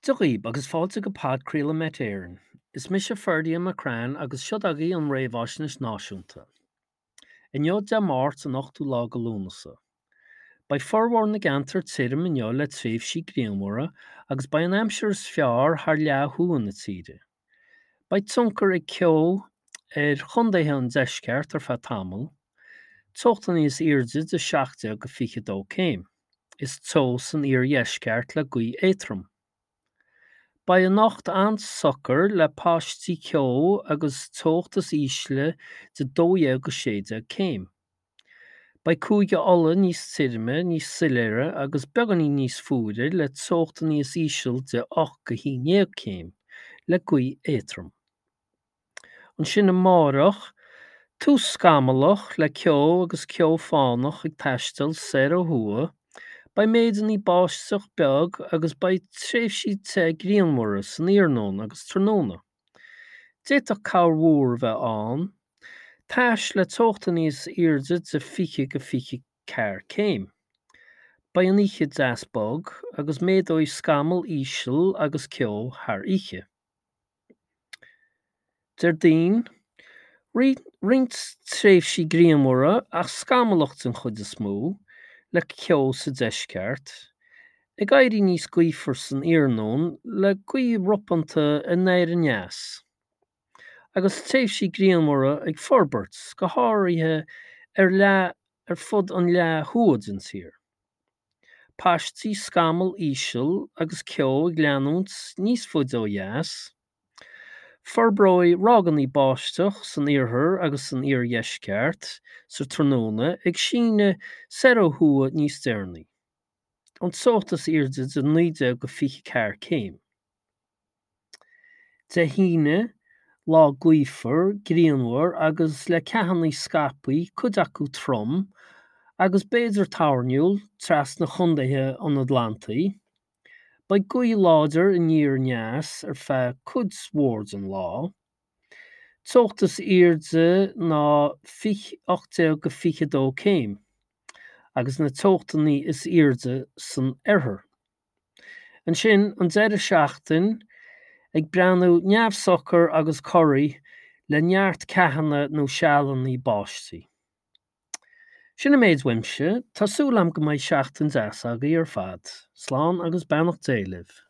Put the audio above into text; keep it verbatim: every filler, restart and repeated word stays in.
Dia dhaoib agus fáilte go podchraoladh Met Éireann. Is mise Ferdia McCrann agus seod agaibh an Réamhaisnéis Náisiúnta. Inniu Dé Máirt an ochtú lá de Lúnasa. Beidh formhór na gceantar tirim inniu le tréimhsí grianmhara agus beidh an aimsir is fearr thar leath thuaidh na tíre. Beidh tionchar ag ceo ar chontaetha an deisceart ar feadh tamaill, teochtanna is airde de seacht déag go fiche dó céim. Is teo san iardheisceart le gaoth éadrom. Beidh anocht an-socair le paistí ceo agus teocht is ísle de dó dhéag go sé déag céim. Beidh Cúige Uladh níos tirime, níos soiléire agus beagáinín níos fuaire le teochtanna is íseal de ocht go haon déag céim, le gaoth éadrom. Ansin amárach, tús scamallach le ceo agus ceo fánach ag taisteal soir ó thuaidh, beidh méideanna báisteach beag agus beidh tréimhsí te grianmhara san iarnóin agus tráthnóna. D'fhéadfadh corrmhúr a bheith ann, tais le teochtanna is airde de fiche go fiche ceathair céim. Beidh an oíche deas bog agus méadóidh scamall íseal agus ceo thar oíche. Déardaoin, roinnt tréimhsí grianmhara ach scamallach den chuid is mó, le ceo sa deisceart, ag éirí níos gaofar san iarnóin le gaoth ropánta anoir aneas, agus tréimhsí grianmhara ag forbairt, go háirithe ar leath ar fud an leath thuaidh den tír. Paistí scamall íseal agus ceo ag leanúint níos faide ó dheas. Forbróidh ráigeanna báisteach san iarthar agus san iardheisceart sa tráthnóna ag síneadh soir ó thuaidh níos deireanaí. An teocht is airde de naoi déag go fiche ceathair céim. Dé hAoine, lá gaofar, grianmhar agus le ceathanna scaipthe, cuid acu trom, agus b'fhéidir toirniúil, trasna chontaetha an Atlantaigh. Beidh gaoth láidir aniar aneas ar feadh cuid mhór den lá. Teocht is airde ná ocht déag go fiche dó céim, agus na teochtanna is airde san oirthear. Ansin, an deireadh seachtain, ag breathnú neamhshocair agus corraí le neart ceathanna nó sealanna báistí. Sin an méid uaimse, tá súil agam go mbeidh seachtain deas agaibh ar fad. Slán agus beannacht Dé libh.